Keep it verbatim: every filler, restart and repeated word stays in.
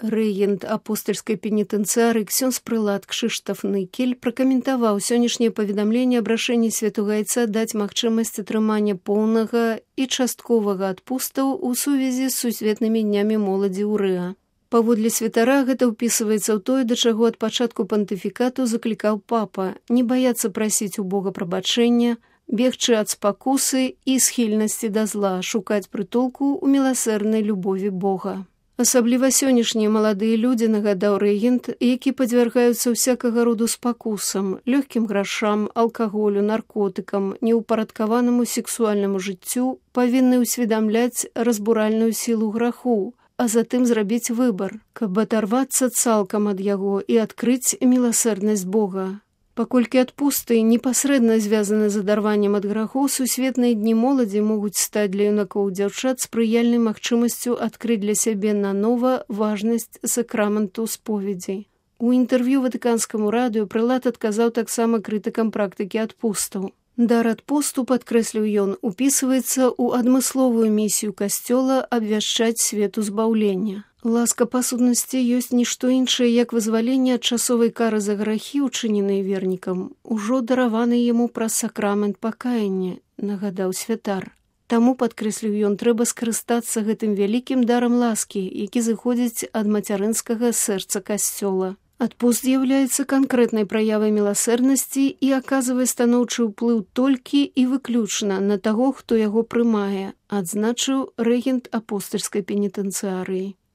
Рэгент апостальскай пенітэнцыярыі ксёндз прылад Кшыштаф Ныкель пракаментаваў сённяшняе паведамленне аб рашэнні Святога Айца даць магчымасць атрымання поўнага і частковага адпустаў у сувязі з сусветнымі днямі моладзі ў Рыа. Паводле святара гэта ўпісваецца ў тое, да чаго ад пачатку пантыфікату заклікаў папа, не баяцца прасіць у Бога прабачэння, бегчы ад спакусы і схільнасці да зла, шукаць прытулку ў міласэрнай любові Бога. Асабліва сённяшнія маладыя людзі, нагадаў рэгент, які падвяргаюцца ўсякага роду спакусам, лёгкім грашам, алкаголю, наркотыкам, неўпарадкаванаму сексуальнаму жыццю, павінны ўсведамляць разбуральную сілу граху, а затым зрабіць выбар, каб адарвацца цалкам ад яго і адкрыць міласэрнасць Бога. Паколькі адпусты непасрэдна звязаны з адарваннем ад грахоў, сусветныя дні моладзі могуць стаць для юнакоў і дзяўчат спрыяльнай магчымасцю адкрыць для сябе нанова важнасць сакраменту споведзі. У інтэрв'ю ватыканскаму радыё прылад адказаў таксама крытыкам практыкі адпустаў. Дар адпусту, падкрэсліў ён, упісваецца ў адмысловую місію касцёла абвяшчаць свету збаўлення. Ласка па сутнасці ёсць нішто іншае, як вызваленне ад часовай кары за грахі, учыненыя вернікам, ужо дараваны яму праз сакрамент пакаяння, нагадаў святар. Таму, падкрэсліў ён, трэба скарыстацца гэтым вялікім дарам ласкі, які зыходзіць ад мацярынскага сэрца касцёла. Адпуст з'яўляецца канкрэтнай праявай міласэрнасці і аказвае станоўчы ўплыў толькі і выключна на таго, хто яго прымае, адзначыў рэгент апостальскай пенітэнцыярыі.